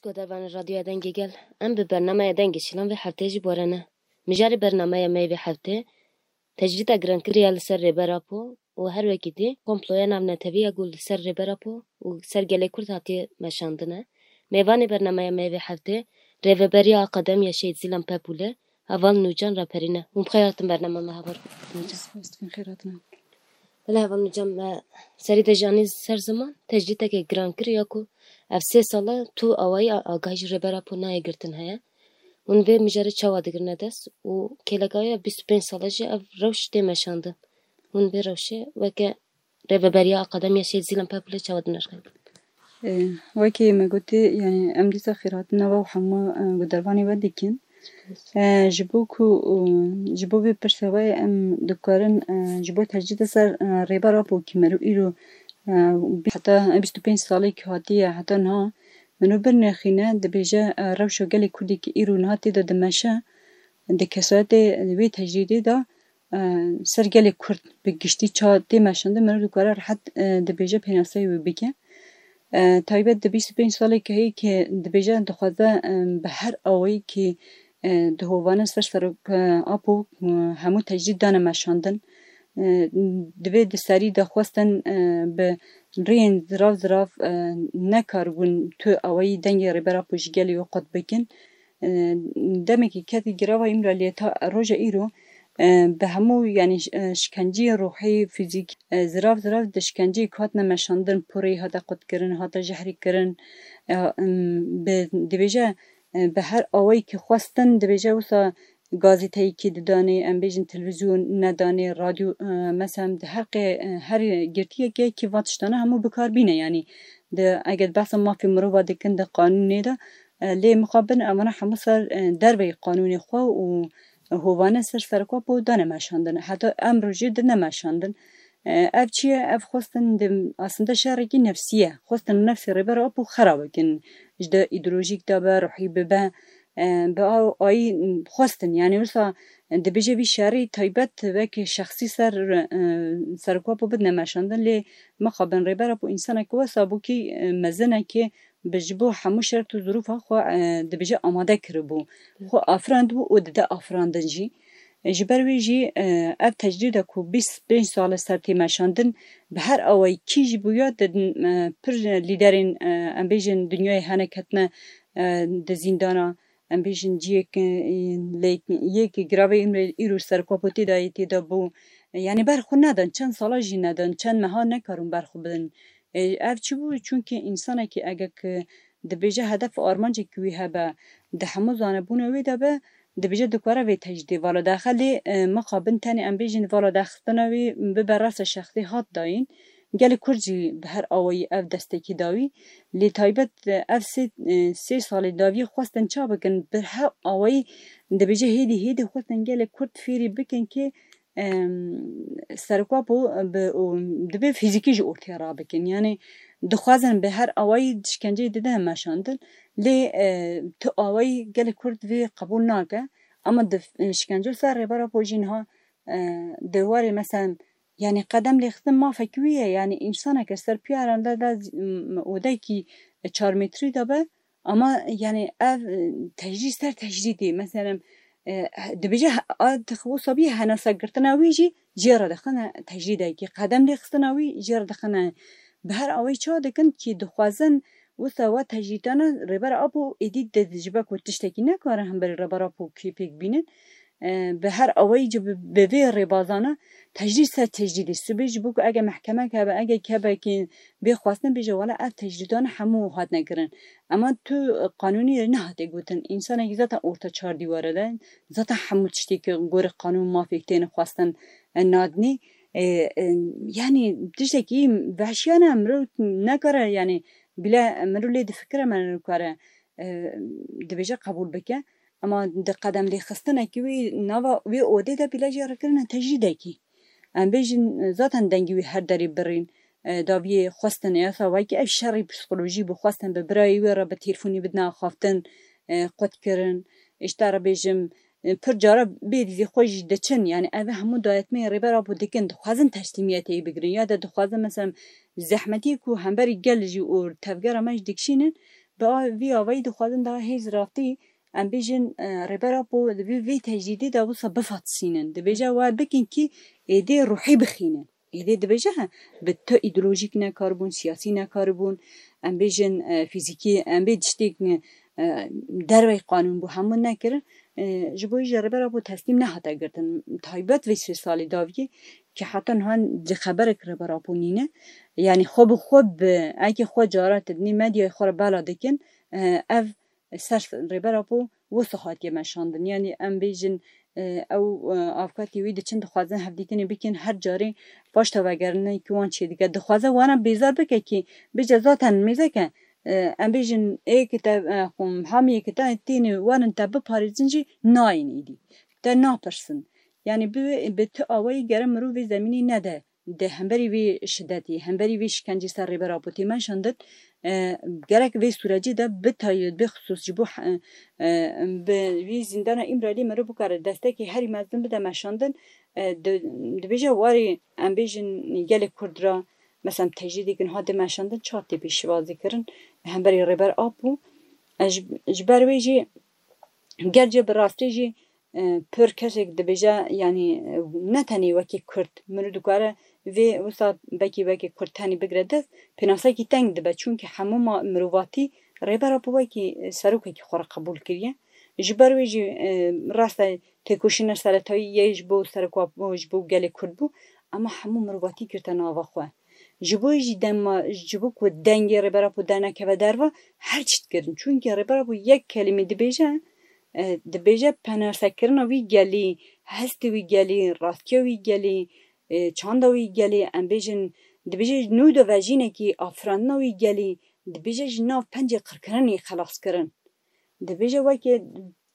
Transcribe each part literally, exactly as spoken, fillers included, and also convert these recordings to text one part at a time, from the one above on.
Godarvanê Radyoya Dengê Gel, em bi bernameya Dengê Şilan vê hefteyê jî bi we re ne. Mijarê bernameya me yê vê hefteyê tecrîda girankirî ya li ser Rêber Apo û her wekî dî komploya navnetewî ya ku li ser Rêber Apo û ser gelê Kurd hatiye meşandin e. Mêvanê bernameya me yê vê hefteyê Rêveberiya Akademiya Şehîd Zîlan Pepûl e, heval Nûcan Raperîn e. Hûn bi xêr hatin bernama me, heval Nûcan. Spas dikim, xêr hatin. Bila heval Nûcan, me serî de jî anî ser ziman, tecrîdeke girankirî ya ku ev sê sal e tu awayî a-, agahî ji Rêber Apo nayê girtin heye. Hûn vê mijarê çawa digirine dest û kêleka wê ya bîst û pênc sal e jî ev rewş tê meşandin. Hûn vê rewşê weke Rêveberiya Akademiya Şehîd Zîlan Pepûlê çawa dinirxin? Ê, wekî me gotî, yanî em dîsa xêrhatina we û hemû, e, gudervanê we dikin. E, ji bo ku, e, ji bo vê pirsa we em dikarin, e, ji bo tecrîda ser, e, Rêber Apo ku meriv îro, e, heta bîst û pênc salê ku hatiye heta niha, min û birnexîne dibêje, e, rewşa gelê Kurdî ku îro niha tê de dimeşe, di kesayetê wê tecrîdê de, e, ser gelê Kurd bi giştî ça tê meşandin, meriv dikare rehet, e, dibêje pênaseyê wê bike. E, taybet di bîst û pênc salê ku heye ku dibêje dixwaze, e, bi her awayî ku, e, di hovane ser serok, e, Apo, e, hemû tecrîd dane meşandin. E, di vê di serî de xwestin, e, bi rêyên zirav zirav, e, nekaribûn tu awayî dengê Rêber Apo ji gelê wê qut bikin. E, demekî ketî girava Îmraliyê ta roja îro, e, bi hemû, yanî, e, şikenciyê ruhî, fîzîkî, e, zirav zirav di şikenceyê ku hatine meşandin, porê hate qutkirin, hate jehrîkirin. E, em, bi, dibêje, e, bi her awayî ku xwestin, dibêje wisa gazeteyekî didanê, em bêjin televîzyon nedanê, radyo, e, mesela di her qê-, e, her girtiyekê kî va tiştane hemû bikar bîne, yanî di, eger behsa mafê mirova dikin di qanûnê de, e, lê mixabin evana hemû ser, e, derveyî qanûnê xwe û hovane ser serok Apo dane meşandin. Heta emro jî dine meşandin. E, ev çi ye? Ev xwestin di, aslında şerekî nefsî ye. Xwestin nefsê Rêber Apo xera bikin. Ji de îdeolojîk de be, ruhî bibe. E, bi a-, ayî xwestin. Yanî wisa dibêje vî şerî taybet wek şexsî ser, e, serok Apo bidine meşandin. Lê mixabin Rêber Apo însaneke wisa bû kî, e, mezin e kî bi ji bo hemû şert û zirûfa xwe, e, dibêje amade kiribû. Xwe afirandibû û dide afirandin jî. E, ji ber wê jî, e, ev tecrîda ku bîst pênc sal e ser tê meşandin, bi her awayî kî jî bûya di, e, pir lîderên, e, em bêjin dinyayê hene ketine, e, di zîndana, em bêjin ciyek, e, lê yek giravê Îmrê îro serok Apo tê de yê tê de bû. E, yanî ber xwe nedin, çend sala jî nedin, çend meha nekarûn ber xwe bidin. E, ev çi bû? Çunkî însanekî eger ki dibêje hedef û armancekî wî hebe, di hemû zanebûna wê de be, dibêje dikare vê tecrîdê vala daxe. Lê, e, mixabin tenê em bêjin vala daxistina wî bibe rasa şexsî hat dayîn. Gelê Kurd jî bi her awayî ev destekî dawî. Lê taybet, e, ev sê, e, sê salê dawiyê xwestin ça bikin? Bi her awayî dibêje hêdî hêdî xwestin gelê Kurd fêrî bikin ki, em, serok Apo bi, û dibe fîzîkî ji ortê rabikin. Yanî dixwazin bi her awayî şikenceyê dide meşandin. Lê, e, tu awayî gelê Kurd vê qebûl nake. Ama di, e, şikence ser Rêber Apo jî niha, e, di warê, mesela, yanî qedem lêxistin mafek wî ye. Yanî însaneke ser piyaran de, de, m, odekî çar metrî de be, ama, yanî, ev, e, tecrîd ser tecrîdê, mesela, e, dibêje he-, a, dix-, wisa bî henasa girtina wî jî jê re dixine tecrîdekî, qedem lêxistina wî jê re dixine. Bi her awayî çawa dikin kî dixwazin wisa wa tecrîdana Rêber Apo êdî di, ji ber ku tiştekî nekarin hemberî Rêber Apo kî pêk bînin. E, bi her awayî jî bi, bi vê rêbazana tecrîd ser tecrîdê. Sibê ji bo ku ege mehkemek hebe, ege kebekî bê xwestin bêje, wela ev tecrîdan hemû hatine kirin. Ema tu, e, qanûnî nehate gotin. Însanekî zaten orta çar dîware de, zaten hemû tiştê ki gorî qanûn mafê têne xwestin, e, nadinî. E, e, yanî tiştekî vehşiyane mirov nekare, yanî bile mirov lê difikire me nikare, e, dibêje qebûl bike. Ema di qedem lêxistinekî wî nava wê odê de bîle jê re kirine tecrîdekî. Em bêjin, zaten dengê wî her derê birîn, e, daviyê xwestin, ya sa wekî ev şerî psîkolojî bû, xwestin bi birayê wê re bi têlefonî bidine axaftin, e, qut kirin. Îşte re bêjim, e, pir cara bê dîzê xwe jî diçin. Yanî ev hemû dayetmeyê Rêber Apo dikin, dixwazin teslîmiyetê wî bigirin. Ya de dixwazin, mesela, zehmetiyê ku hemberî gel jî û tevgera me jî dikişînin, Bi a-, vî avayî dixwazin daha hêz ratî, em bêjin, e, Rêber Apo di vî, vî tecrîdê de wisa bifatisînin. Dibêje we bikin kî êdî ruhî bixînin. Êdî dibêje bi tu îdeolojîk nekaribûn, siyasî nekaribûn, em bêjin, e, fîzîkî, em bê tiştêk, e, dervey qanûn bû, hemû nekirin. E, ji bo jî Rêber Apo teslîm nehate girtin. Taybet vê sê salê daviyê ki heta niha cixeberek Rêber Apo nîne. Yanî xwe bi xwe bi, eke xwe cara te dinê medyayê xwe re bela dikin, e, ev ser Rêber Apo wisa hatiye meşandin. Yanî em bêjin, e, ew, e, avukatê wî diçin dixwazin hevdîtinê bikin, her carê paş te vegerine ki wan çêdike. Dixwaze wana bêzar bike ki bêje zaten mêzeke, e, em bêjin ê ki te, e, xum, hamiyê ki te têne werin te biparêzin jî nayên êdî. Te napirsin. Yanî bi, bi tu awayî gere mirov vê zemînê nede. Di hemberî vê şidetê, hemberî vê şikencê ser Rêber Apo tê meşandin, e, gerek vê sûrecê de bi taybet, bi xisûs ji bo he-, e, bi vî zîndana Îmraliyê meriv bikare destekê herî mezin bide meşandin, e, di-, dibêje warê em bêjin gelê Kurd re, mesela tecrîdêk niha tê meşandin, çawa tê pêşwazî kirin hemberî Rêber Apo. E, ji, ji ber wê jî ger ce bi rastî jî e, pir kesek dibêje, yanî, e, ne tenê wekî Kurd, mirov dikare vê wisa bekî wekî Kurd tenê bigire dest, pênasekî teng dibe. Çunkî hemû ma-, mirovatî Rêber Apo wekî, e, serokekî xwe re qebûl kiriye. Ji ber wê jî, e, rast e, têkoşîna seretayî yê ji bo serok Apo, ji bo gelê Kurd bû, ema hemû mirovatî girte nava xwe. Ji bo jî dema, ji bo ku dengê Rêber Apo dernekeve derve, her çi dikirin. Çunkî Rêber Apo yek kelîmê dibêje, e, dibêje penasekirina wî gelî, hestê wî gelî, rastiya wî gelî, e, çanda wî gelî, em bêjin, dibêje nû de vejînekî afirandina wî gelî, dibêje ji nav pencê qirkirinê xelas kirin. Dibêje weke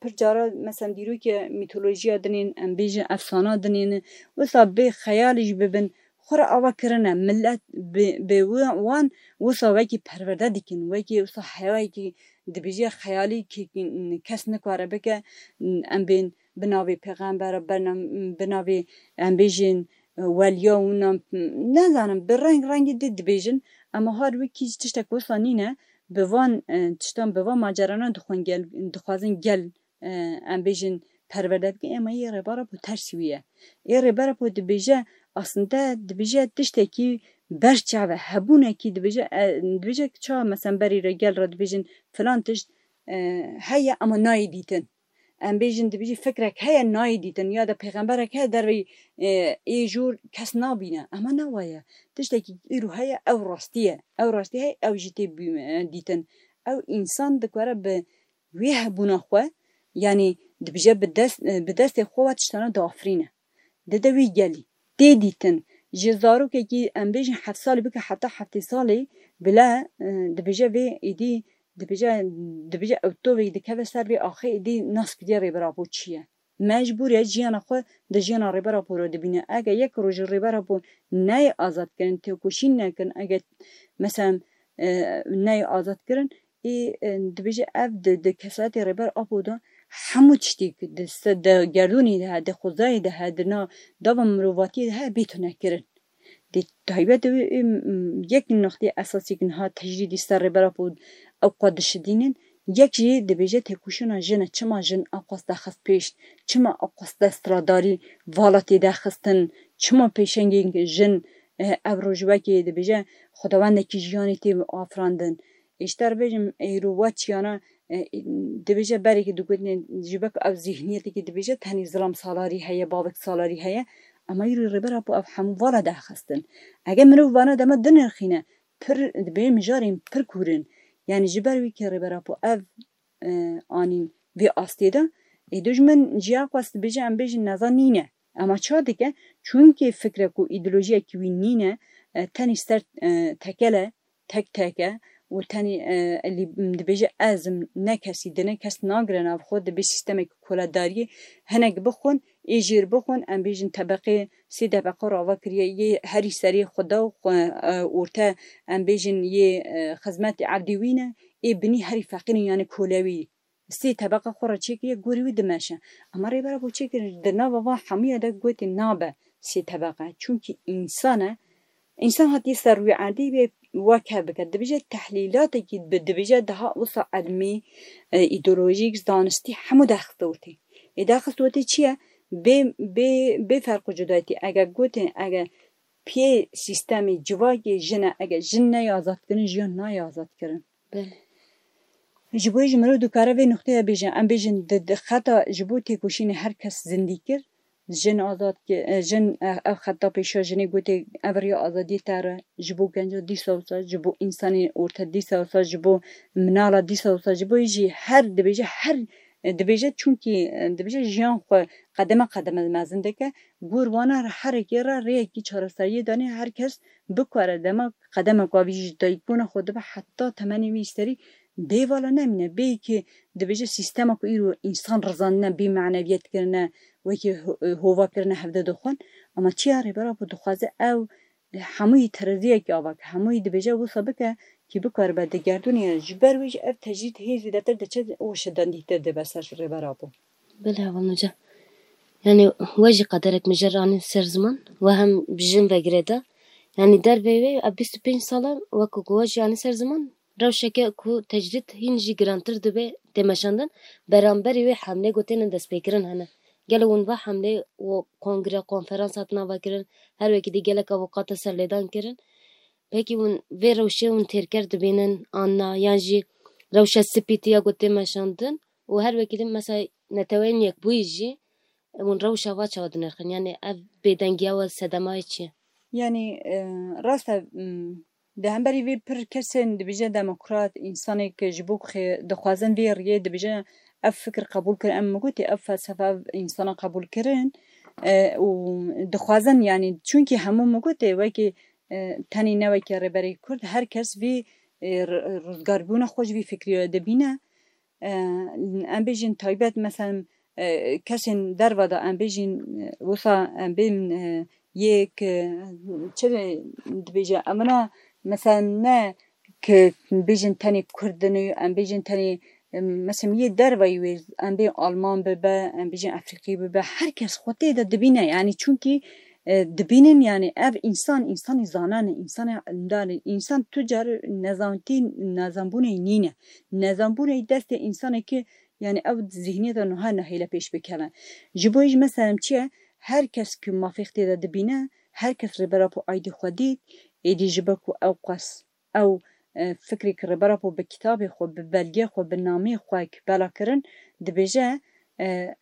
pir cara, mesela dîrokê mîtolojiya dinên, em bêjin efsana dinên, wisa bê xeyalî jî bibin, xwe re ava kirine. Milet bi, bi wi-, wan wisa wekî perwerde dikin, wekî wisa heyayekî dibêje xeyalî ki kes nikare bike, em bên bi navê pêxembera, bernam-, bi navê em bêjin weliya wina, nezanim, bi reng rengî di dibêjin, ema har wekî jî tiştek wisa nîne. Bi van, e, tiştan, bi van macerana dixwin gel, dixwazin gel, e, em bêjin perwerde bikin, ema yê Rêber Apo tersî wî ye. Ê Rêber Apo dibêje, aslinde dibêje tiştekî berçav e, hebûnekî dibêje, e, dibêje ça, mesela berî re gel re dibêjin filan tişt, e, heye ema nayê dîtin. Em bêjin dibêjî fikrek heye nayê dîtin ya da pêxemberek heye derveyî, e, ê jor kes nabîne. Ema ne wa ye. Tiştekî îro heye ew rastî ye. Ew rastî heye ew jî tê bî-, e, dîtin. Ew însan dikare bi wê hebûna xwe, yanî dibêje bi dest, e, bi destê xwe ve tiştana diafirîne. Dide wî gelî. Tê dîtin. Ji zarokekî em bêjin heft salî bike heta heftê salî bile, e, dibêje vê êdî dibêje, dibêje ew tovek dikeve ser vê axê êdî nas kiriye Rêber Apo çi ye. Mecbûr e jiyana xwe di jiyana Rêber Apo re dibîne. Ege yek rojê Rêber Apo neyê azad kirin, têkoşîn nekirin, ege mesela, e, neyê azad kirin, ê, e, dibêje ev di, di kesayetê Rêber Apo de hemû tiştî di se-, di gerdûnê de he, di xwezayê de he, di na dava mirovatiyê de he bê tune kirin. Di taybet de wê, ê, m, yek nixtê esasî ki niha tecrîdî ser Rêber Apo ew qas dişidînin, yek jî dibêje têkoşîna jin e, çima jin ew qas daxist pêş, çima ew qas destradarî vala tê daxistin, çima pêşengê jin, e, ev roj wekî dibêje xwedawendekî jiyanê tê afirandin. Ê ji te re bêjim, êro wa çiyana, e, dibêje berê ki digotinê ji ber ku ev zîhniyetekî dibêje tenê zilam salarî heye, bavek salarî heye, ema îro Rêber Apo ev hemû vala daxistin. Eger mirov vana dema dinirxîne, pir dibê mijarên pir kûr in. Yanî ji ber wî ki Rêber Apo ev, e, anîn vê astê de, ê dijmin jî ew qas dibêje em bêjin neza nîne. Ema ça dike? Çunkî fikrek û îdeolojiyekî wî nîne, e, tenê ser, e, tekel e, tek tek e û tenê, e, elî, dibêje ez im, ne kesî dine, kes nagire nav xwe, dibê sîstemek koledariyê, hinek bixwin, ê jêr bixwin, em bêjin tebeqê, sê tebeqe re ava kiriye, yê herî serê xuda û xwe, e, orte, em bêjin yê, e, xizmetê evdî wî ne, ê binî herî feqîr in, yanî kolewî. Sê tebeqa xwe re çêkiriye, gorî wî dimeşe. Ema Rêber Apo çêkir, di nava van hemûya de gotê nabe sê tebeqa. Çunkî însan e Însan hatiye ser rûyê erdî wê wek hev bike. Dibêje tehlîlatekî bi, dibêje daha wisa ilmî, e, îdeolojîk, zanistî hemû derxistewtê. Ê derxistewtê çi ye? Bê, bê, bê ferq û cudayetî. Ege gotê, ege piyê sîstemê civakê jin e, ege jin neyê azadkirin, jiyan nayê azadkirin. Belê. Ji bo yê jî mirov dikare vê nuqteya bêje, em bêjin di, di xeta ji bo têkoşînê her kes zindî kir, jin azad ki-, e, jin, e, ev xeta pêşiya jinê gotê ev riya azadiyê te re, ji bo genca dîsa wisa, ji bo însanê orte dîsa wisa, ji bo minala dîsa wisa, ji bo yê jî her dibêje, her, e, dibêje çunkî, e, dibêje jiyan xwe qedeme qedeme mezin dike, gor wana re herekê re rêyekî çareseriyê danê, her kes bikare dema qedemeka vî ji dayikbûna xwe dibe heta temenê wî serî bê vala nemîne. Bê ki dibêje sîstema ku îro însan rizandine, bê meneviyet kirine, wekî ho-, hova kirine hevde dixwin. Ama çiya Rêber Apo dixwaze ew hemûyî tereziyekî ava ke, hemûyî dibêje wisa bike ki bikaribe digerdûnê. Ji ber wê jî ev tecrîd hê zêdetir diçe û şidendîtir dibe ser Rêber Apo. Belê hevalnoca. Yani we jî qederek mijer anî ser ziman, we hem bi jin ve girêda. Yani derveyî wê ev bîst û pênc sal e wek ku we jî anî ser ziman, rewşeke ku tecrîd hîn jî girantir dibe tê meşandin, beramberî wê hemlê ku têne destpêkirin hene. Gelo hûn va hemlê û kongre, konferans hatina vekirin, her wekî dî gelek avûkata serlêdan kirin. Pekî hûn vê rewşê hûn têrker dibînin an na, yan jî rewşa C P T ya ku tê meşandin û her wekî dî mesela Neteweyên Yekbûyî jî hûn rewşa va çawa dinirxin? Yani ev bêdengiya we sedemayê çi ye? Yani, e, rast e, m, di hemberî vê pir kesên dibêje demokrat, însanê ku ji bo ku xê-, dixwazin vê riyê dibêje ev fikir qebûl kirin, em min gotê ev felsefe, ev însana qebûl kirin, e, û dixwazin, yani, çunkî hemû min gotê wekî, e, tenê ne wekî Rêberê Kurd, her kes vî, e, r-, rizgarbûna xwe ji vî fikrî re dibîne. E, em bêjin taybet, mesela, e, kesên derve de, em bêjin, e, wisa em bên, e, yê ki, çi dibêje, em na, mesela, ne ki bêjin tenê Kurd in û em bêjin tenê, e, mesela, yê derveyî wê, em bên Alman bibe, em bêjin Efrîqî bibe, her kes xwe tê de dibîne, yani, çunkî, e, dibînin, yani, ev însan, însanê zanan e, însanê îndar e, însan tu car nezantî, nezanbûnê nîne. Nezanbûnê destê însanekî, yani, ew zihniyeta nuha nehêle pêş bikeve. Ji bo yê jî, mesela, çi ye? Her kes ku mafê xwe tê de dibîne, her kes Rêber Apo aydî xwe dît, êdî ji ber ku ew qas ew, e, fikrê ki Rêber Apo bi kitabê xwe, bi belgê xwe, bi namê xwe ki bela kirin, dibêje, e,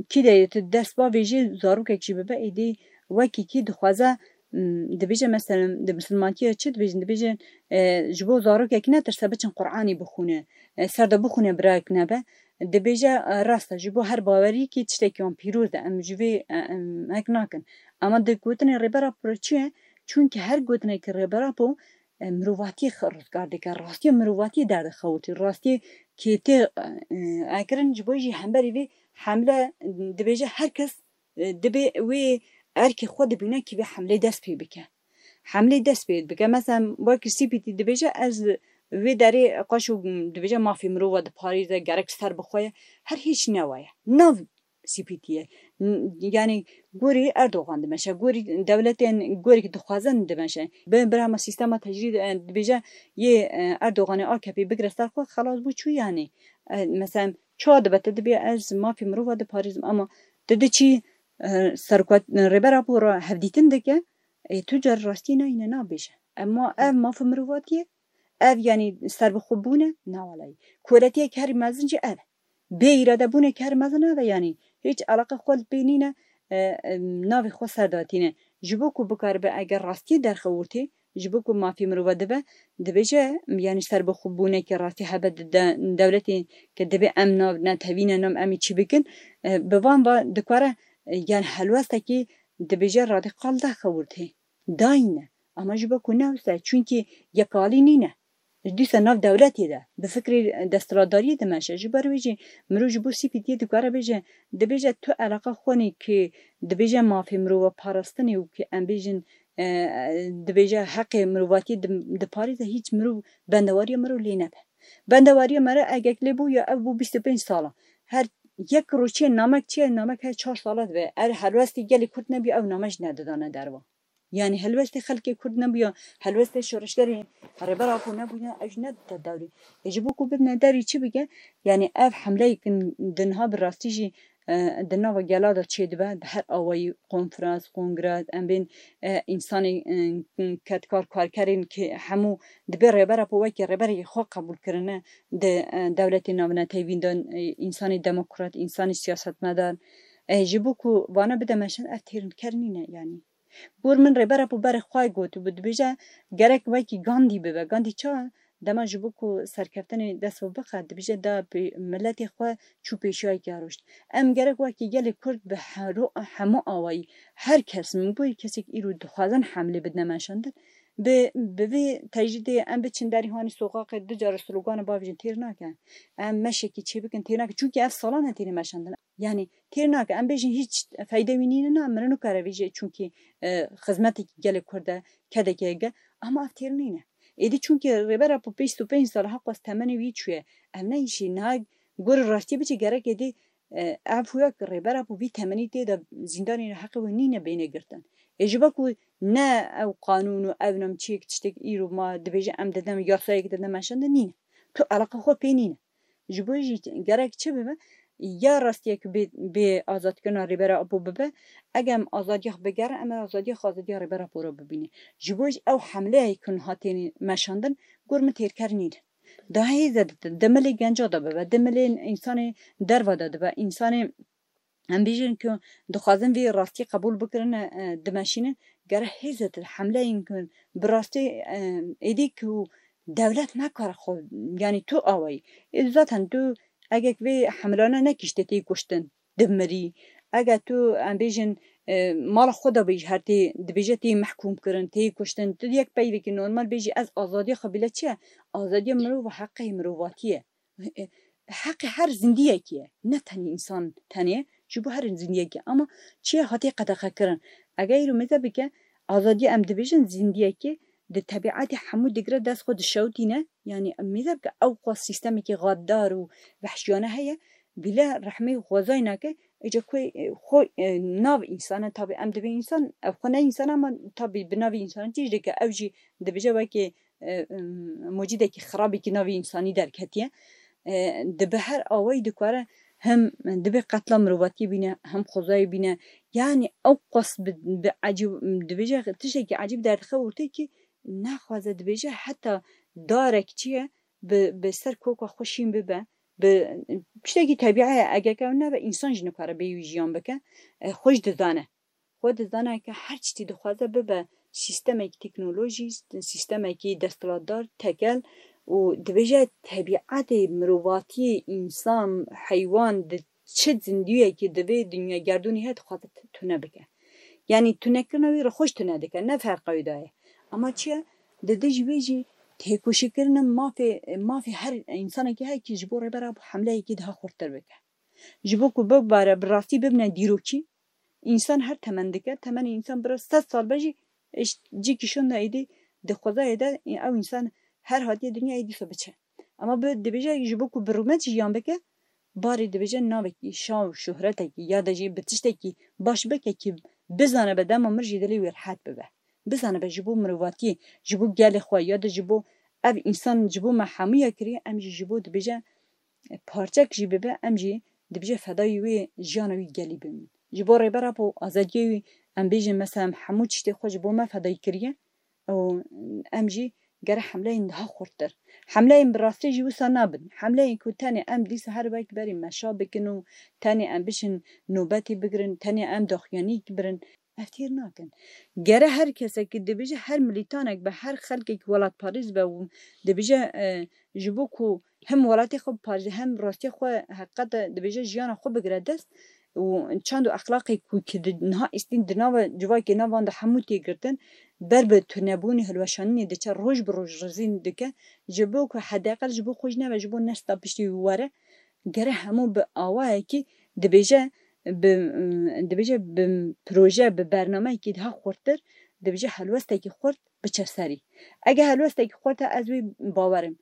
kî de tu dest bavêjî zarokek jî bibe, êdî wekî kî dixwaze, m, dibêje mesela di misilmantiyê çi dibêjin? Dibêjin, e, ji bo zarokek netirse biçin Quranî bixwîne, e, ser de bixwîne birayek nebe. Dibêje, e, rast e, ji bo her baweriyekî tiştekî wan pîroz e. Em ji vê, e, em hek nakin. Ama di gotinê Rêber Apo re çi ye? Çunkî her gotinekî Rêber Apo e, mirovatiyê xwe rizgar dike, rastiya mirovatiyê derdixewitî, rastiyê kê tê, e, ekirin, ji bo jî hemberî vê hemle, dibêje her kes, e, dibê wê erkê xwe dibîne kî vê hemlê dest pê bike. Hemlê dest pê bike. Mesela wekî C P T dibêje ez vê derê qaşo dibêje mafê mirova diparêze, gerek ser bi xwe ye. Her hîç ne wa ye. Nav C P T ye. N-, yani gorî Erdogan dimeşe, gorî dewletên gorî dixwazin dimeşe. Bi, birama sîstema tecrîd, e, dibêje yê, e, Erdoganê A K P bigire ser xwe, xelas bû çû yani. E, mesela çawa dibe te dibê ez mafê mirova diparêzim ama tu diçî, e, serokatî, Rêber Apo re hevdîtin dike, e, tu car rastî nayîne nabêje. Ema ev mafê mirovatiye, ev, yanî, serbixwebûn e? Na welayî. Koletiyek herî mezin jî ev e. Bê îradebûnek herî mezin ev e, yanî, hîç eleqe xwe li pê nîne, e, e, navê xwe ser datîne. Ji bo ku bikaribe eger rastiyê derxewitê, ji bo ku mafê mirova dibe, dibêje, yanî, serbixwebûneke rastî hebe di de-, dewletê ke dibê em nav netewîne, nam em ê çi bikin, e, bi van va dikare, e, yanî, helwestekî dibêje radîkal derxewitê. Dayîne. Ama ji bo ku ne wisa, çunkî yekalî nîne. Dîsa nav dewletê de, bi fikrê desthilatdariyê dimeşe. Ji ber wê jî mirov ji bo C P T dikare bêje, dibêje tu eleqa xwe nê ki dibêje mafê mirova parastinê û ki em bêjin, e, dibêje heqê mirovatiyê dim-, diparêze, hîç mirov bendewariya mirov lê nebe. Bendewariya me re egek lê bû ya ev bû bîst û pênc sala. Her yek rojê namek çi ye, namek her çar sala dibe. Er helwestê gelê Kurd nebî ew name jî nedidane derva. Yanî helwestê xelkê Kurd nebûya, helwestê şoreşgerê Rêber Apo nebûya, ew jî nedite dewrê. Ê ji bo ku bibine dewrî çi bike? Yanî ev hemleyek in di niha bi rastî jî, e, di nava gela de çêdibe, bi her awayî konferans, kongre, em bên, e, însanê, e, kedkar, karkerên ki hemû dibê Rêber Apo wekî rêberê xwe qebûl kirine di, e, dewletê navnetewî de, e, însanê demokrat, însanê siyasetmedar. E, ji bo ku vana bide meşin, ev têrker nîne yanî. Gor min Rêber Apo berê xwe got û dibêje, gerek wekî Gandî bibe. Gandî ça? Dema ji bo ku serkeftinê dest bi bixe, dibêje da pê-, miletê xwe çû pêşiyayekê rûşt. Em gerek wekî gelê Kurd bi hero-, hemû awayî, her kes, min got, kesek îro dixwazin hemlê bidine meşandin, bi, bi vê tecrîdê em biçin derî hanî soqaqê du cara sloganê bavêjin têr nake. Em meşekî çêbikin têr nake. Çunkî ev salan e têne meşandin. Yanî têr nake. Em bêjin hîç feyde wî nîne, na, mirin û kare vêjê, çunkî, e, xizmetekî gelê Kurd e, kedekê ge, ama ev têr nîne. Êdî çunkî Rêber Apo pênc sed û pênc sal ha qas temenê wî çûye. Ev ne îşî, niha gor rastî biçe gerek êdî, e, ev huya ki Rêber Apo vî temenî tê de zîndanê heqê wê nîne bêne girtin. Ê ji bo ku ne ew qanûn û ev nam çiyek tiştek îro ma dibêje em didem yasayek didem meşandin nîne. Tu eleqa xwe pê nîne. Ji bo jî gerek çi bibe? Ya rastiyek bê, bê azadkirina Rêbera Apo bibe. Eger em azadiya xwe bigerin, em ê azadiya xwe, azadiya Rêbera Apo re bibîne. Ji bo jî ew hemleyê ku niha têne meşandin, gor min têrker nîne. Daha hêze ditin, di milê genca de bibe, di milê însanê derva de dibe, însanê em bêjin ku dixwazin vê rastî qebûl bikirin, e, dimeşînin, gere hêze di hemleyên ku bi rastî, e, êdî ku dewlet nekare xwe, yanî tu awayî. Ê, zaten tu eger vê hemlana nekişte tê kuştin, dimirî. Eger tu, em bêjin, e, mala xwe de bêj her tê, dibêje tê mehkûm kirin, tê kuştin. Tu yek peyvekî normal bêjî ez azadiya xwe bile çi ye? Azadiya mirov heqê mirovatî ye. E, heqê her zindiyekî ye. Ne tenê însan tenê, ji bo her zindiyekî. Ama çi ye hatiye qedexe kirin? Eger îro mêze bike, azadiya em dibêjin zindiyekî di tebiatê hemû digre dest xwe dişewtîne. Yanî em mêze bike ew qas sîstemekî xaddar û vehşiyane heye. Bile rehmê xwezayî nake, êca ku, e, xwe, e, nav însan e, tabî em dibê însan, ev xwe ne însan e, ama tabî bi navê însan tîj dike, ew jî dibêje wekî, e, em, mocîdekî xirabekî navê însanî derketiye. E, di bi her awayî dikare hem dibê qetla mirovatiyê bîne, hem xwezayê bîne. Yanî ew qas bi, bi ecîb, dibêje tiştekî ecîb derdixe ortê kî naxwaze dibêje heta darek çi ye, bi, bi ser koka xwe şîn bibe, bi tiştekî tebiî ye, eger ke ew nebe, însan jî nikare bê wî jiyan bike, e, xwe jî dizane. Xwe dizane ke her tiştî dixwaze bibe sîstemekî teknolojî, sîstemekî desthilatdar, tekel û dibêje tebiatê mirovatiyê, însan, heywan, di çi zindiyekî di vê dinya gerdûnê heye dixwaze t-, tune bike. Yanî tunekirina wî re xwe jî tune dike, ne ferqa wî de ye. Ama çi ye? Di dijî wê jî têkoşîkirina mafê, mafê her însanekî heye kî ji bo Rêber Apo hemleyekî daha xurttir bike. Ji bo ku bibare bi rastî bibine dîrokî, însan her temen dike, temenê însan bira sed sal be jî, e, cîkî şonda êdî di xwezayê de, e, ew însan her hatiye dinyayê dîsa biçe. Ama bi, dibêje ji bo ku bi rûmet jiyan bike, barê dibêje navekî şa û şohretekî ya de jî bi tiştekî baş bike kî bizane be dema mir jî dilê wî rehet bibe. Bizane be ji bo mirovatiyê, ji bo gelê xwe ya de ji bo ev însan, ji bo me hemûya kiriye, em jî ji bo dibêje, e, parçek jî bibe, em jî dibêje fedayî wê jiyana wî gelî bibin. Ji bo Rêber Apo azadiyê wî, em bêjin mesela em hemû tiştê xwe ji bo me fedayî kiriye. Û em jî gere hemleyên daha xurttir. Hemleyên bi rastî jî wisa nabin. Hemleyên ku tenê em dîsa her wek berî meşa bikin û tenê em biçin nobetê bigirin, tenê em daxuyanî birin, ev têr nakin. Gere her kesek dibêje, her milîtanek be, her xelkek welatparêz be û dibêje, e, ji bo ku hem welatê xwe biparêze, hem rastiya xwe heqîqete dibêje jiyana xwe bigire dest, û çand û exlaqê ku ki di niha îstîn di nava civakê navan de hemû tê girtin, ber bi tunebûnê hilweşanînê diçe, roj bi roj rizîn dike, ji bo ku hedeqel ji bo xwe jî nebe, ji bo nesla piştî wî were, gere hemû bi awayekî dibêje, bi, dibêje bi proje, bi bernameyekî daha xurttir, dibêje helwestekî xurt biçe serî. Eger helwestekî xurt e, ez wê bawerim.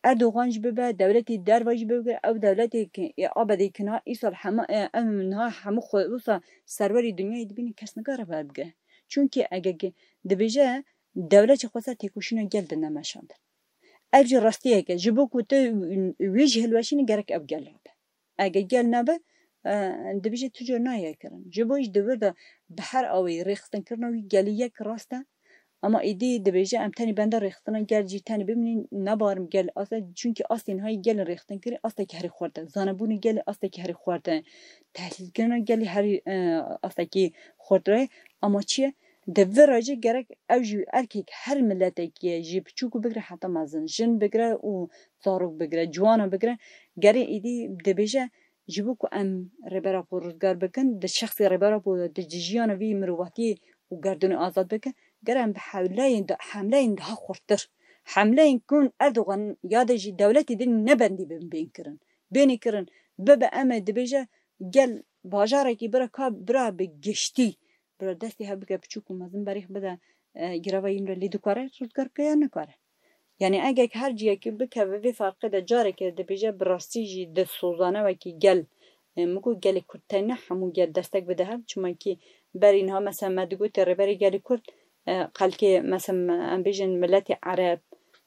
Erdogan jî bibe, dewletê derva jî bigire, ew dewletê ki ê ABD'ê ki niha îsal hema, e, em niha hemû xwe wisa serwerê dinyayê dibînin, kes nikare verbigire. Çunkî ege ge-, dibêje dewlet jî xwe ser têkoşîna gel dine meşandin. Ev jî rastiyek e. Ji bo ku tu wî jî hilweşînî gerek ew gel rabe. Ege gel nebe, e, dibêje tu cor nayê kirin. Ji bo jî di vir de bi her awayî rêxistinkirina wî gelî yek rast e. Ama êdî dibêje em tenê benda rêxistina gel jî tenê bimînin, nebarim gel asta, çunkî astên hayî gelin rêxistin kirî astekî herî xurt e. Zanebûnê gelê astekî herî xurt e. Tehlîlkirina gelî herî, e, astekî xurt re. Ama çi ye? Di vir re jî gerek ew jî erkek her miletekî ye, ji piçûkû bigire heta mezin, jin bigire û zarok bigire, ciwana bigire, gerê êdî dibêje ji bo ku em Rêber Apo rizgar bikin, di şexsê Rêber Apo de, di jiyana vî mirovatiyê û gerdûnê azad bikin, gere em bi hewleyên de, hemleyên daha xurttir, hemleyên ku Erdogan ya de jî dewletê din nebendî bin bên kirin, bênê kirin, bibe em ê dibêje gel bajarekî bira ka bira bi giştî bira destê hev bike piçûk û mezin berîx bide, e, girava yîn re lê dikare rizgar bike ya nikare. Yani egek her ciyekî bikeve vê ferqê de careke dibêje bi rastî jî di sozane wekî gel, e, min got gelê Kurd teyne hemû gel destek bide hev. Çimkî berî niha mesela me digotê Rêberê Gelê Kurd, e, xelkê mesela em bêjin miletê Ereb,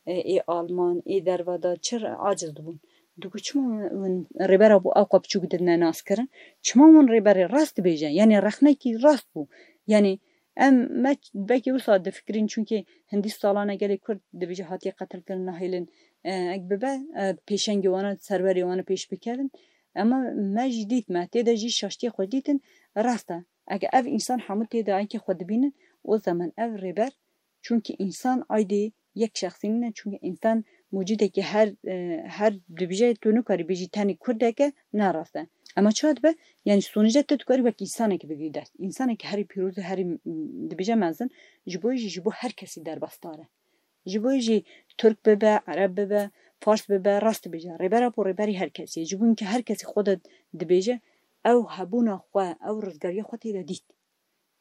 e, ê Alman, ê derva de çi re aciz dibûn. Digot çima hûn Rêber Apo ew qas piçûk didine nas kirin? Çima hûn Rêberê rast dibêje? Yani rexnekî rast bû. Yani em me belkî wisa difikirîn, çunkî hindî salane gelê Kurd dibêje hatiye qetilkirin, nahêlin, e, ek bibe, e, pêşengê wana, serwerê wana pêş bikevin. Ema me jî dît, me tê de jî şaştiyê xwe dîtin, rast e. Eke ev însan hemû tê de enkê xwe dibînin, o zaman ev Rêber, çunkî însan aydê yek şexsî nîne, çunkî însan mucîdekî her, e, her dibêje tu nikarî bêjî tenê Kurdek e, ne rast e. Ema çawa dibe? Yani sonuca tu dikarî wek însanekî bigirî dest. Însanekî herî pîroz e, herî, m, dibêje mezin, ji bo jî, ji bo her kesî derbasdar e. Ji bo jî Tirk bibe, Ereb bibe, Fars bibe, rast dibêje. Rêber Apo rêberî her kesî ye. Ji bo ke her kesî xwe de dibêje, ew hebûna xwe, ew rizgariya xwe tê de dît.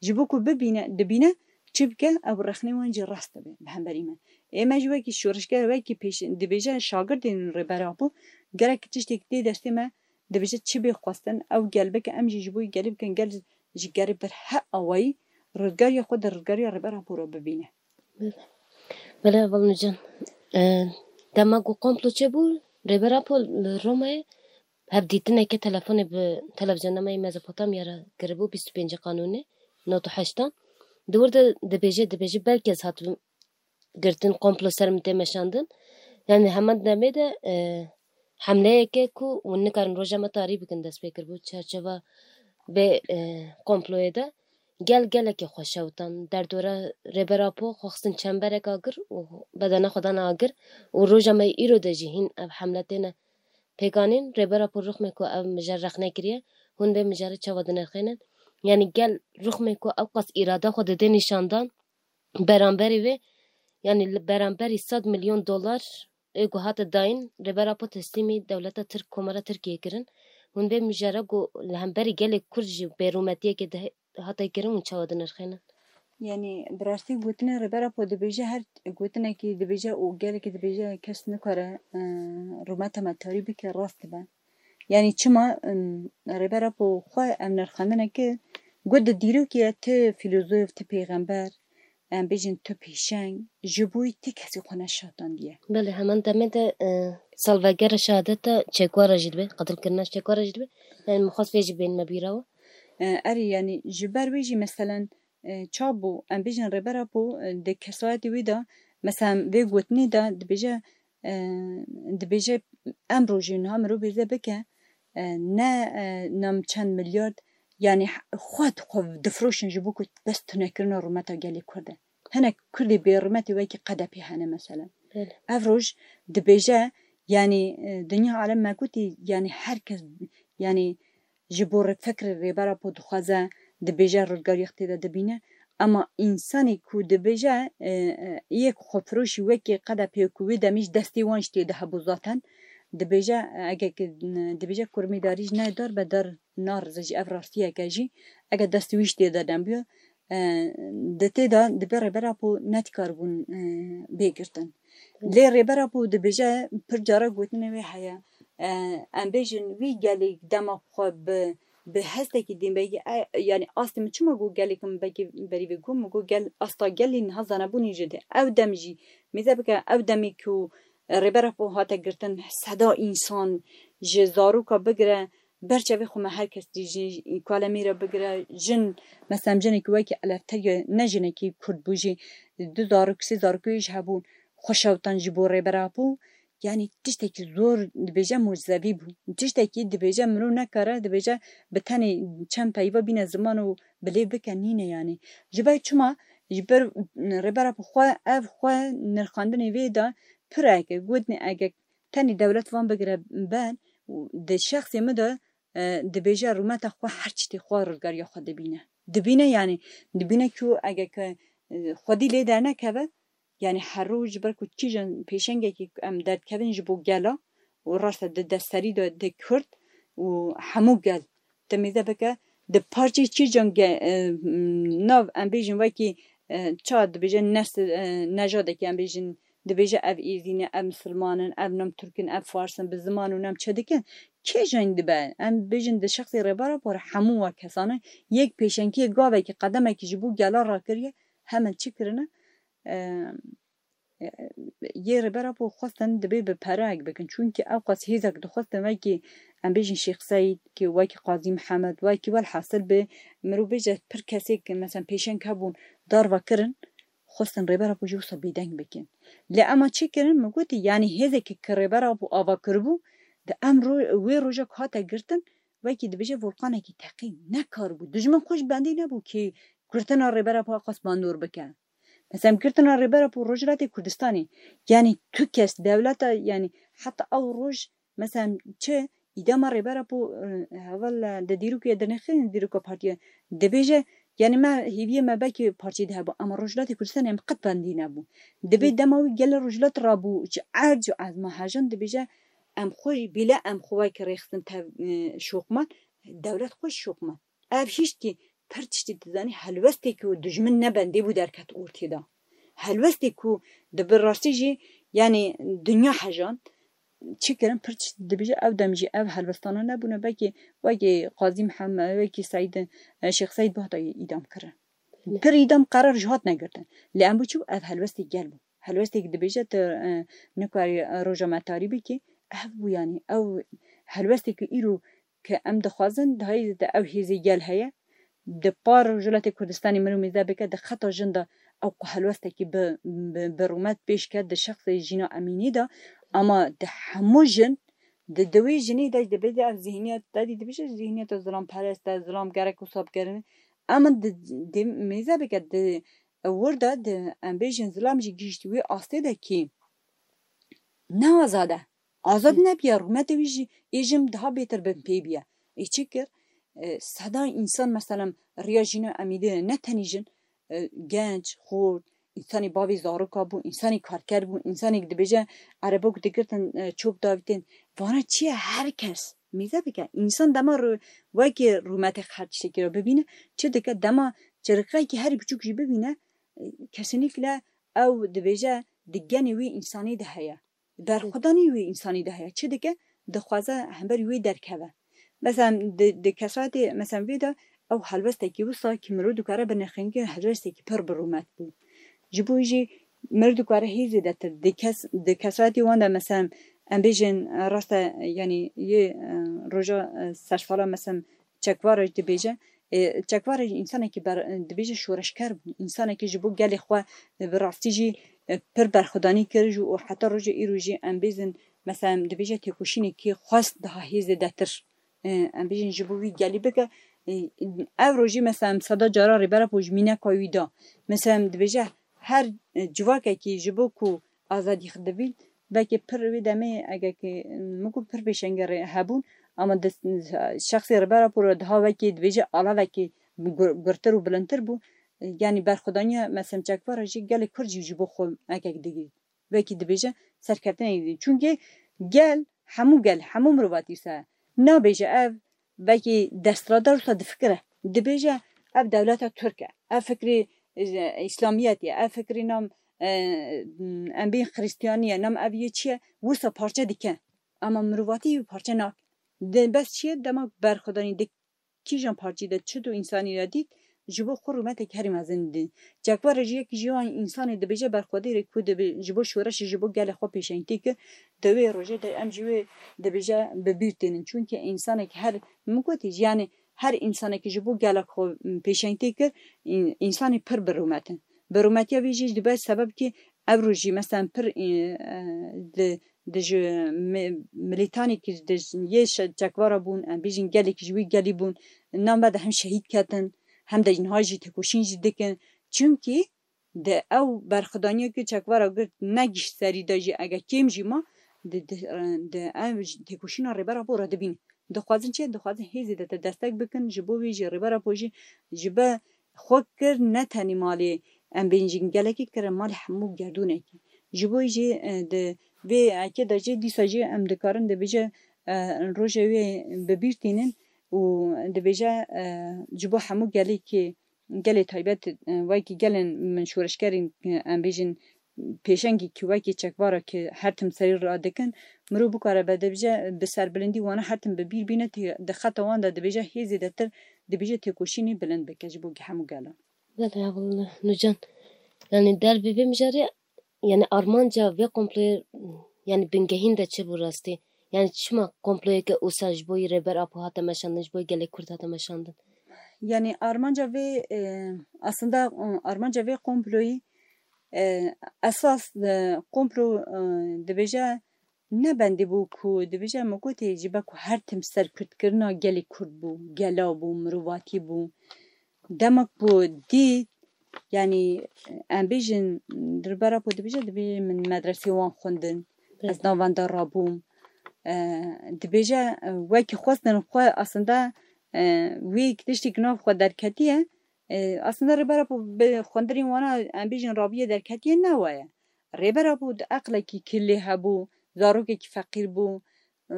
Ji bo ku bibîne, dibîne, çi bike, ew rexnê wan jî rast dibe bi hemberî me. Ê me jî wekî şoreşger, wekî pêş, dibêje şagirdên Rêber Apo, gerek tiştek tê destê me, dibêje çi bê xwestin, ew gel bike, em jî ji bo gelê bikin, gel ji gerê bir her awayî rizgariya xwe di rizgariya Rêber Apo re bibîne. Belê, belê, heval Nûcan. E, dema ku komplo çêbû, Rêber Apo li Romeyê hevdîtineke telefonê bi televizyona me yê Mezopotamya re kiribû, bîst û pêncê Kanûnê, nod û heştan. Di wir de dibêje, dibêje, belkî ez hatibim girtin, komplo ser min tê meşandin. Yani heman demê de, e, hemleyeke ku hûn nikarin roja me tarî bikin dest pê kiribû çarçeva vê, e, komployê de. Gel gelekî xwe şewtan. Derdora Rêber Apo xwe xistin çemberek agir û bedena xwe dan agir û roja me îro de jî hîn ev hemle têne pêkanîn. Rêber Apo rixmê ku ev mijar rexne kiriye, hûn vê mijarê çawa dinirxînin? Yani gel rixmê ku ew qas îrada xwe dide nîşandan, beramberî vê, yani li beramberî sed milyon dolar ê ku hate dayîn, Rêber Apo teslîmî dewleta Tirk, Komara Tirkiyê kirin. Hûn vê mijara ku li hemberî gelê Kurd jî bêrûmetiyeke de hate kirin, hûn çawa dinirxînin? Yani bi rastî gotinê Rêber Apo dibêje, her gotinekî dibêje û gelekî dibêje kes nikare, e, rûmeta me tarî bike, rast dibe. Yani çima, em, Rêber Apo xwe ev nirxandineke got di dîrokê ye, ti fîlozof, ti pêxember, em bêjin tu pêşeng, ji bo wî ti kesî xwe neşatandiye. Belê, heman demê de, e, salvegera şehadeta Che Guevara jî dibe, qetilkirina Che Guevara jî dibe. Yani min xwest vê jî bên me bîra we. E, erê, yani ji ber wê jî meselen, e, çabû, em bêjin Rêber Apo, e, di kesayetê wî de, meselen vê gotinê de dibêje, e, dibêje, em rojê niha mirov bêrze bike, e, ne, e, nam çend milyard, yani xwe, xwe difiroşin ji bo ku bes tunekirina rûmeta gelê Kurd e. Hinek Kurdê bêrûmetê wekî Qedepî hene mesela. Belê. Ev roj dibêje, yani, e, dinya alem me gotî, yani her kes, yani ji bo rê-, fikrê Rêber Apo dixwaze, dibêje, rizgariyek tê de dibîne. Ema însanê ku dibêje, e, e, yek xwefiroşî wekî Qedepê ku wê demî ji destê wan jî tê de hebû zaten. Dibêje, e, ege ki, n-, dibêje kurmîdarî ji nayê dar be dar narize jî, ev rastiyeke jî. Ege destê wî jî tê de nebûye, e, di tê de dibe Rêber Apo nedikaribûn, e, bê girtin. Lê Rêber Apo dibêje, pir cara gotinê wê heye, e, em bêjin wî gelê dema xwe bi Bi hestekî dîn belkî, e, yanî astê min çima got gelê ku min belkî berî vê got, min got gel, asta gelê niha zanebûnê jî de. Ew dem jî mêze bike, ew demê ku Rêber Apo hate girtin, seda însan ji zaroka bigire, ber çavê xwe me her kes dî jî, kalemê re bigire, jin, mesela jinekî wekî Elefteriye, ne jinekî Kurd bû jî, du zarok, sê zarokê jî hebûn, xwe şewtan ji bo Rêber Apo. Yanî tiştekî zor dibêje mucizevî bû. Tiştekî dibêje mirov nekare, dibêje bi tenê çend peyva bîne ziman û bi lê bike nîne yanî. Ji ber çima? Ji ber Rêber Apo xwe, ev xwe nirxandinê vê de pir eke, gotinê eke tenê dewlet van bigire ber, û di şexsê min de, e, dibêje rûmeta xwe her tiştê xwe rizgariya xwe dibîne. Dibîne yanî, dibîne ku eke ke, e, xwedî lê dernekeve, yanî her roj ji ber ku kîjan pêşengekî em derdikevin ji bo gela û raste di destserî de di Kurd û hemû gel. Te mêze bike di parçeyê kîjan ge-, e, m, nav em bêjin wekî, e, ça dibêje nesil, e, nejadekî em bêjin, dibêje ev êzî ne, ev misilman in, ev nam Tirk in, ev Fars in, bi ziman û nam çi dikin. Kê jî dibe? Em bêjin di şexsê Rêber Apo re hemû wa kesan in. Yek pêşengiyê gavekî qedemekî ji bo gela rakiriye, hemin çi kirine? E, e, yê Rêber Apo xwestin dibê bi pereyek bikin. Çunkî ew qas hêzek dixwestin wekî, em bêjin Şêx Seîd, ki wekî Qazî Mihemed, wekî welhasil bi mirov bêje pir kesê ki, mesela pêşeng hebûn, darva kirin, xwestin Rêber Apo jî wisa bêdeng bikin. Lê ema çi kirin? Min gotî, yanî hêzekî ki Rêber Apo ava kiribû, di em ro-, wê roja ku hate girtin, wekî dibêje volqanekî teqî, nekaribû. Dijmin xwe jî bendî nebû ki girtina Rêber Apo qas bandor bike. Mesela girtina Rêber Apo Rojhilatê Kurdistanê, yanî tu kes dewleta, yanî heta ew roj, mesela çi îdama Rêber Apo, e, heval, e, di dîrokê dinexin, dîroka partiye dibêje, yanî me hêviyê me belkî parçeyê de hebû, ama Rojhilatê Kurdistanê em qet bendî nebû. Dibê dema wî gelê Rojhilat rabû, ji erd û ezma hejan dibêje, em xwe jî bîle em xwe wekî rêxistin tev, e, şoqman, dewlet xwe jî şoqman. Ev hişt ki pir tiştî dizanî, helwestê ku dijmin ne bendê bû derket ortê de. Helwestê ku di bi rastî jî, yanî dinya hejan, çi kirin, pir tiştî dibêje, ew dem jî ev helwestana nebûne, belkî wekî Qazî Mihemed, wekî Seîd, e, Şêx Seîd bihata îdam kirin. Pir îdam qerar ji hat negirtin. Lê em bû çi bû? Ev helwestê gel bû. Helwestê ki dibêje tu, e, nikarî, e, roja me tarî bikî. Ev bû yanî, ew helwestê ki îro ki em dixwazin, di hayî de ew hêzê gel heye. Di par Rojhilatê Kurdistanê mirov mêze bike, di xeta jin de ew ku helwestekî bi, bi, bi rûmet pêş ket, di şexsê Jîna Emînî de, ama di hemû jin, di, di wê jinê de, dibê de ev zihniyet, te dî dibêje zihniyeta zilamperest e, zilam gerek wisa bikirin. Ama di, di mêze bike, di wir de, di, em bêjin zilam jî gihîşt wê astê de kî ne azad e. Azad nebiya, rûmetê wî jî ê jin daha bêtir bin pê biye. Ê çi kir? E, seda însan, meselem, riya Jîna Emînî ne tenî jin, e, genç, xort, însanê bavê zaroka bû, însanê karker bû, însanê dibêje erebok digirtin, e, çop davîtin. Vana çi ye? Her kes mêze bike. Însan dema ru-, wekî rûmetê her tiştekî re bibîne, çi dike? Dema çiriqekî herî biçûk jî bibîne, e, kesinlikle ew dibêje di genê wî însanî de heye. Berxwedanî wî însanî de heye. Çi dike? Dixwaze hemberî wê derkeve. Mesela di, di kesayetê, mesela vê de ew helwestekî wisa ki mirov dikare binirxîne, helwestekî pir bi rûmet bû. Ji bo jî mirov dikare hê zêdetir. Di kes, di kesayetê wan de mesela em bêjin, e, raste, yanî yê, e, roja, e, sersala mesela Çekvara jî dibêje, e, Çekvara jî însanekî ber-, dibêje şoreşker bû, însanekî ji bo gelê xwe, e, bi rastî jî, e, pir berxwedanî kir jî û heta roja îro jî em bêzin, mesela dibêje têkoşînekî xwest daha hê zêdetir, e, em bêjin ji bo wî gelî bike. E, ev rojî mesela em seda cara Rêber Apo ji mîneka wî da. Mesela em dibêje her, e, civakekî ji bo ku azadî xwe divîn, belkî pir wê demê, eger ki, min got pir pêşengê rê hebûn, ama di şexsê Rêber Apo re daha wekî dibêje alavekî gur-, gurtir û bilindtir bû. Yanî berxwedaniya Meselem Çekvara jî gelê Kurd jî ji bo xwe ekek digî. Wekî dibêje serkeftinekî digî. Çunkî gel, hemû gel, hemû mirovatî wisa nabêje ev, belkî desthilatdar wisa difikire. Dibêje ev dewleta Tirk e. Ev fikrê, e, Îslamiyetê ye. Ev fikrê nam, e, em bê Xristiyanî ye. Nam ev yê çi ye? Wisa parçe dike. Ama mirovatî wî parçe nake. Di bes çi ye? Dema berxwedanî di kîjan partî de çi du însanî re dît, ji bo xwe rûmetek herî mezin dî. Çekvara jî yekî ji wan însanê dibêje berxwedêrê ku dibe ji bo şoreşê ji bo gelê xwe pêşengtî kir, di wê rojê de em jî wê dibêje bi bîr tênin. Çunkî însanek her, min gotî jî, yanî her însanekî ji bo gelek xwe, m, pêşengtî kir, în-, însanî pir bi rûmet in. Bi rûmetiya vî jî dibe sebeb kî ev roj jî, meselen, pir, e, e, di, di ji mi-, milîtanekî di ji yê şe-, çekvara bûn, em bêjin gelekî ji wî gelî bûn, name de hem şehîd ketin, hem de niha jî têkoşîn jî dikin. Çimkî di ew berxwedaniya ku çekvara girt negihişt serî de jî, ege kêm jî ma, di, di, di ev têkoşîna Rêber Apo re dibînin. Dixwazin çi? Dixwazin hê zêdetir destek bikin. Ji bo vî jî Rêber Apo jî ji be xwe kir ne tenê malê, em bêjin gelekî, kire malê hemû gerdûnekî. Ji bo jî, e, di vê ekê de jî dîsa jî em dikarin dibêje, e, rojê wê bi bîr tînin û dibêje, e, ji bo hemû gelekî, gelê taybet, e, wekî gelên min şoreşgerên, e, em bêjin pêşengî ki wekî çekvara ki her tim serî radikin, mirov bikare be dibêje bi serbilindî wana her tim bi bîr bîne tê-, di xeta wan de dibêje hê zêdetir dibêje têkoşînê bilind bike ji bo hemû gelan. Belê, hevalno Nûcan. Yanî dervê vê mijarê, yanî armanca vê komployê, yanî bingehîn de çi bû rastî? Yanî çima komployeke wisa ji bo yî Rêber Apo hate meşandin, ji bo yî gelê Kurd hate meşandin? Yanî armanca vê, e, aslında, e, armanca vê komployî, e, esas, e, komplo, e, dibêje ne bendî bû ku dibêje, min gotê ji ber ku her tim serkurdkirina gelê Kurd bû, gela bû, mirovatî bû. Dema ku dît, yanî em bêjin, Rêber Apo dibêje, dibêje min medresê wan xwendin, ez Belê. Navenda rabûm. E, dibêje, e, wekî xwestin xwe aslında, e, wî tiştî ki nav xwe derketiye, e, aslında Rêber Apo bi xwendirên wana em bêjin rabiye derketiye ne wa ye. Rêber Apo di eqlekî kilê hebû, zarokekî feqîr bû. E,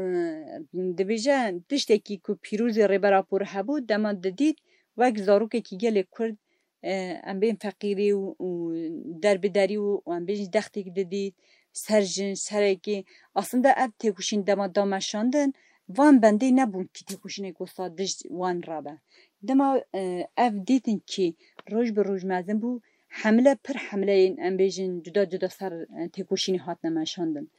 dibêje tiştekî ku pîrozî Rêber Apo re hebû, dema didît wek zarokekî gelê Kurd, e, em bên feqîrî û, û derbiderî û, û em bên jî dextêk didît, ser jin, serekî. Aslında ev têkoşîn dema da meşandin, van bendê nebûn kî têkoşînek wisa dij wan rabe. Dema, e, ev dîtin kî roj bi roj mezin bû, hemle pir hemleyên em bêjin cuda cuda ser, e, têkoşînê hatine meşandin.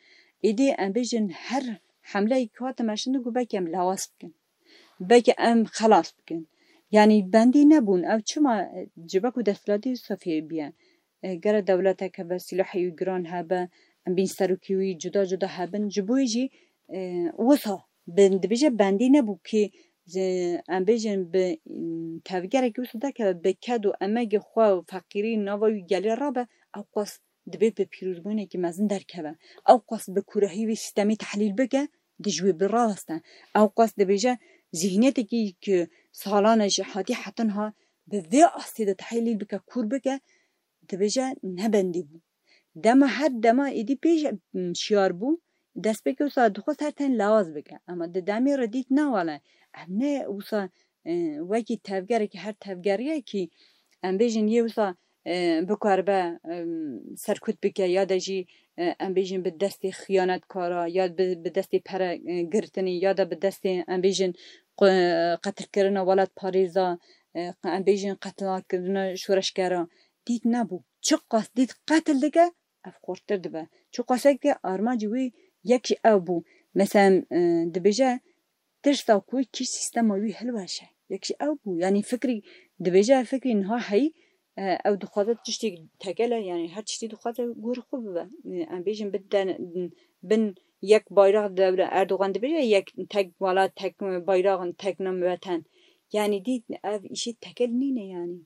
Êdî em bêjin her hemleyek ku hate meşandin ku belkî em lawaz bikin. Belkî em xelas bikin. Yanî bendî nebûn. Ew çima, e, ji ber ku desthilatî wisa fê biye? E, gere dewletek hebe, sîlahê wî giran hebe, em bên serokê wî cuda cuda hebin. Ji bo wê jî, e, wisa bin, dibêje bendî nebû kî, e, em bêjin bi, m, tevgerek wisa derkeve, bi ked û emegê xwe û feqîrî nava wî gelê rabe, ew qas dibê bi pîrozbûnekî mezin derkeve. Ew qas bi kûrahî wî sîstemê tehlîl bike, di ji wê bi raweste. Ew qas dibêje zîhniyetekî ki salan e ji hatî heta niha bi vê astê de tehlîl bike, kûr bike, dibêje ne bendî bû. Dema her dema êdî pêş, m, şiyar bû, destpêkê wisa dixwest her ten lawaz bike. Ema di demê re dît ne wele. Ev ne wisa, e, wekî tevgerekî her tevgeriyekî, em bêjin yê wisa, e, bikaribe, e, serkut bike ya de jî, e, em bêjin bi destê xiyanetkara ya bi, bi destê pere, e, girtinê ya de bi destê em bêjin qe-, qetilkirina welatparêza, e, em bêjin qetilkirina şoreşgera. Dît nebû. Çiqas dît qetil dike, ev xurttir dibe. Çiqas eke armancî wî yek jî ew bû. Meselen, e, dibêje tirsa ku kî sîstema wî hilweşe. Yek jî ew bû. Yanî fikrî, dibêje ev fikrî niha heyî, e, ew dixwaze tiştê tekel e, yanî her tiştî dixwaze gorî xwe bibe. E, em bêjin bin den-, bin yek bayrak dewle, Erdogan dibêje yek tek welat, tek bayrak, tek nam weten. Yanî dît ev îşê tekel nîne yanî.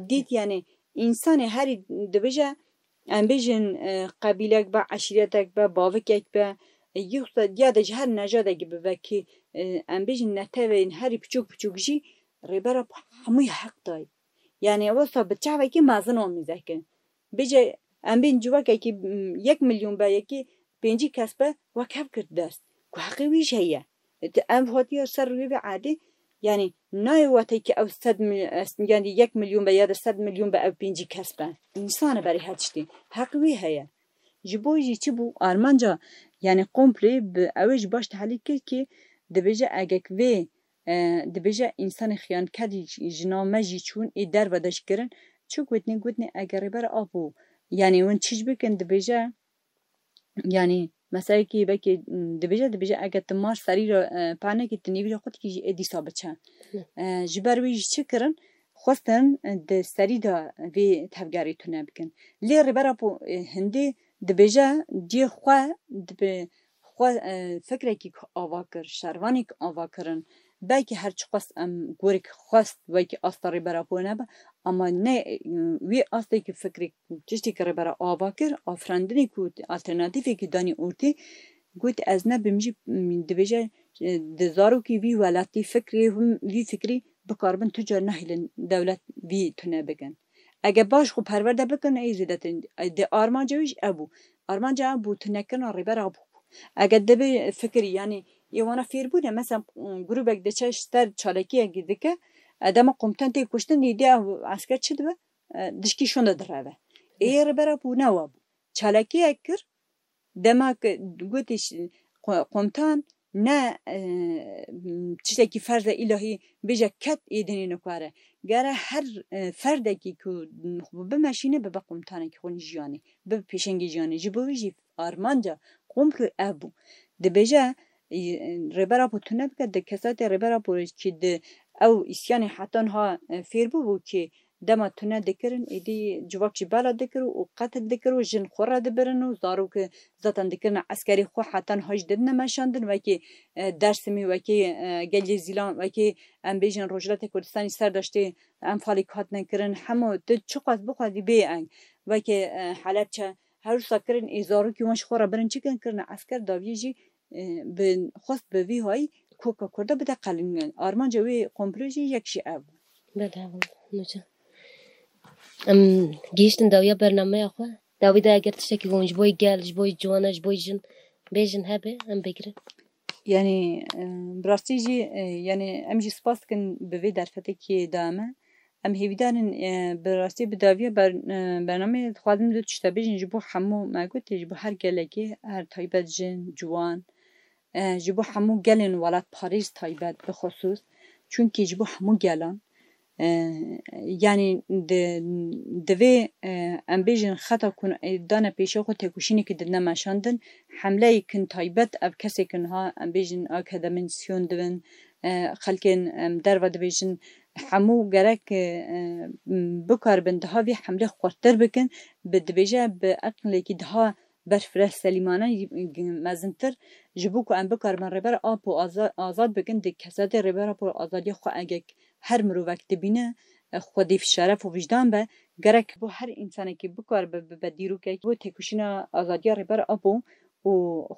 Dît yanî însanê herî dibêje, em bêjin, e, qebîlek be, eşîretek be, bavikek be, e, yoksa ya de ji her nejadekî bibe kî, e, em bêjin netewên herî piçûk piçûk jî Rêber Apo hemûyê heq dayî. Yanî wisa bi çavekî mezin wan mîze kir. Bêje em bên civakekî, m, yek milyon be, yekî pêncî kes be, wek hev girt dest. Ku heqê wî jî heye. Ev hatiye ser rûyê vê erdê, yanî nayê wate ki ew sed mil-, yanî yek milyon be ya da sed milyon be, ew pêncî kes be. Însan e berê her tiştî. Heq wî heye. Ji bo jî çi bû? Armanca, yanî komplê bi ew ê jî baş tehlîl kir ki dibêje egek vê e, dibêje, însanê xiyankerî ji, ji nav me jî çûn, ê derve de jî kirin. Çi gotinê? Gotinê, eger Rêber Apo, yanî hûn çi jî bikin, dibêje, yanî meselekî belkî, m, dibêje, dibêje, eger tu mar serî re, e, pernekî, tu nêvîra xwe dikî jî ê dîsa biçe. Hı. E, ji ber wî jî çi kirin? Xwestin, e, di serî de vê tevgerê tune bikin. Lê Rêber Apo, e, hindê dibêje, cihê xwe dibe xwe, e, fikrekî ava kir, şervanî ava kirin. Belkî her çiqas em gorek xwest wekî asta Rêber Apo nebe, ama ne, e, wî astê ki fikrê, tiştê ki Rêber Apo ava kir, afirandinê ku alternatîfekî danî ortê, got, ez nebim jî, m, dibêje, e, di zarokî vî welatî fikrê hûn vî fikrî bikaribin tu car nehêlin dewlet vî tune bikin. Eger baş xwe perwerde bikin, ey zêdetir, e, di armanca wî jî ev bû. Armanca ev bû, tunekirina Rêber Apo bû. Eger dibê fikirî, yanî ê wana fêrbûne, mesela, grûbek diçe ji ser çalakiyekî dike, e, dema komutan tê kuştin, îdî ev esker çi dibe? E, dişkî şûnde direve. Ê Rêber Apo ne wa bû. Çalakiyek kir, dema ku gotî ş-, ko-, komutan ne, e, tiştekî ferze îlahî bêje ket ê dinê nûkare. Gere her, e, ferdekî ku bimeşîne bibe komutanekî xwe jiyanê, bibe pêşengê jiyanê. Ji bo wî jî armanca komplo ev bû. Dibêje, e, Rêber Apo tune bike, di kesatê Rêber Apo ki di ew îsyanê heta niha, e, fêr bûbû ki dema tune dikirin, êdî civak jî bela dikir û qetil dikir û jin xwe re dibirin û zarok zaten dikirine eskerî xwe heta niha jî didine meşandin, wekî, e, Dersimî, wekî, e, Gelê Zîlan, wekî em bêjin Rojhilatê Kurdistanî ser deştê Enfalê ku hatine kirin, hemû tu çiqas bixwazî bê eng. Wekî, e, Helepçe, her wisa kirin, ê zarokî wan ji xwe re birin çi kirin, kirine esker daviyê jî, e, bi xwest bi vî hayî koka Kurda bide qelin. Armanca wê komplo jî yek jî ev bû. Belê, belê, Nûcan. Em gihîştin dawiya bernameya xwe. Dawî de eger tiştekî hûn ji bo gel, ji bo ciwana, ji bo jin bêjin hebe, em bigirin. Yanî, e, bi rastî jî, e, yanî em jî spas dikin bi vê derfetekî da me. Em hêvîdar in, e, bi rastî bi dawiya ber-, e, bernameyê dixwazim du tişt bêjin ji bo hemû, me gotê, ji bo her gelekê, her taybet jin, ciwan, e, ji bo hemû gelên welatparêz taybet bi xusûs. Çunkî ji bo hemû gelan, e, yanî di, divê, e, em bêjin xeta ku, e, dane pêşiya xwe têkoşînekî didine meşandin, hemleyek in taybet ev kesê ku niha em bêjin akademîsyon dibin, e, xelkên, em, derve dibêjin, hemû gerek, e, e, bikaribin daha vî hemlê xurttir bikin, bi, dibêje bi eqlekî daha berfireh selîmane, mezintir, ji bo ku em bikaribin Rêber Apo aza-, azad bikin, di kesatê Rêber Apo azadiya xwe eger her mirovek dibîne, e, xwedî şeref û wijdan be, gerek bo her însanekî bikaribe bibe dîrokek bo têkoşîna azadiya Rêber Apo û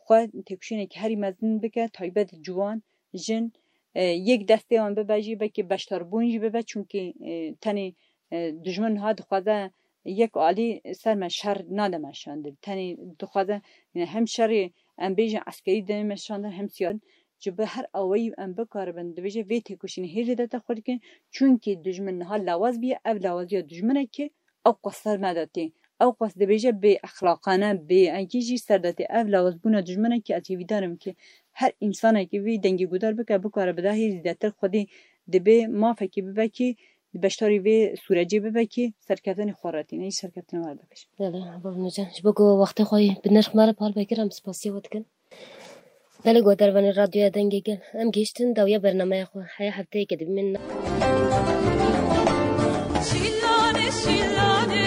xwe têkoşînekî herî mezin bike, taybet ciwan, jin, e, yek destê wan bibe jî, belkî beşdarbûn jî bibe, çunkî, e, tenê, e, dijmin niha dixwaze yek alî ser me şer nade meşandin. Tenê dixwaze, yanî hem şerê, em bêjin, eskerî dide meşandin, hem siyasî. Ji bo her awayî em bikaribin, dibêje vê têkoşînê hê zêdetir xurt dikin, çunkî dijmin niha lawaz bûye, ev lawaziya dijminekî ew qas ser me de tê. Ew qas dibêje bê exlaqane, bê enkî jî ser de tê. Ev lawazbûna dijminekî ez hêvîdar im ki her însanekî vî dengê guhdar bike, bikare bi dahî zêdetir xwedî dibê mafekî bibe ki di beşdarî vê sûrecê bibe ki serkeftinê xwe re tîne, serkeftinê we re dibêje. Belê, Bav Nûcan. Ji bo ku wextê xwe yî bi nirx me re par vekir, em spasiya we dikin. Belê, guhdarvanê Radyoya Dengê Gel, em gihiştin dawiya bernameya xwe. Heya hefteyeke dibînin. Şîlane, şîlane.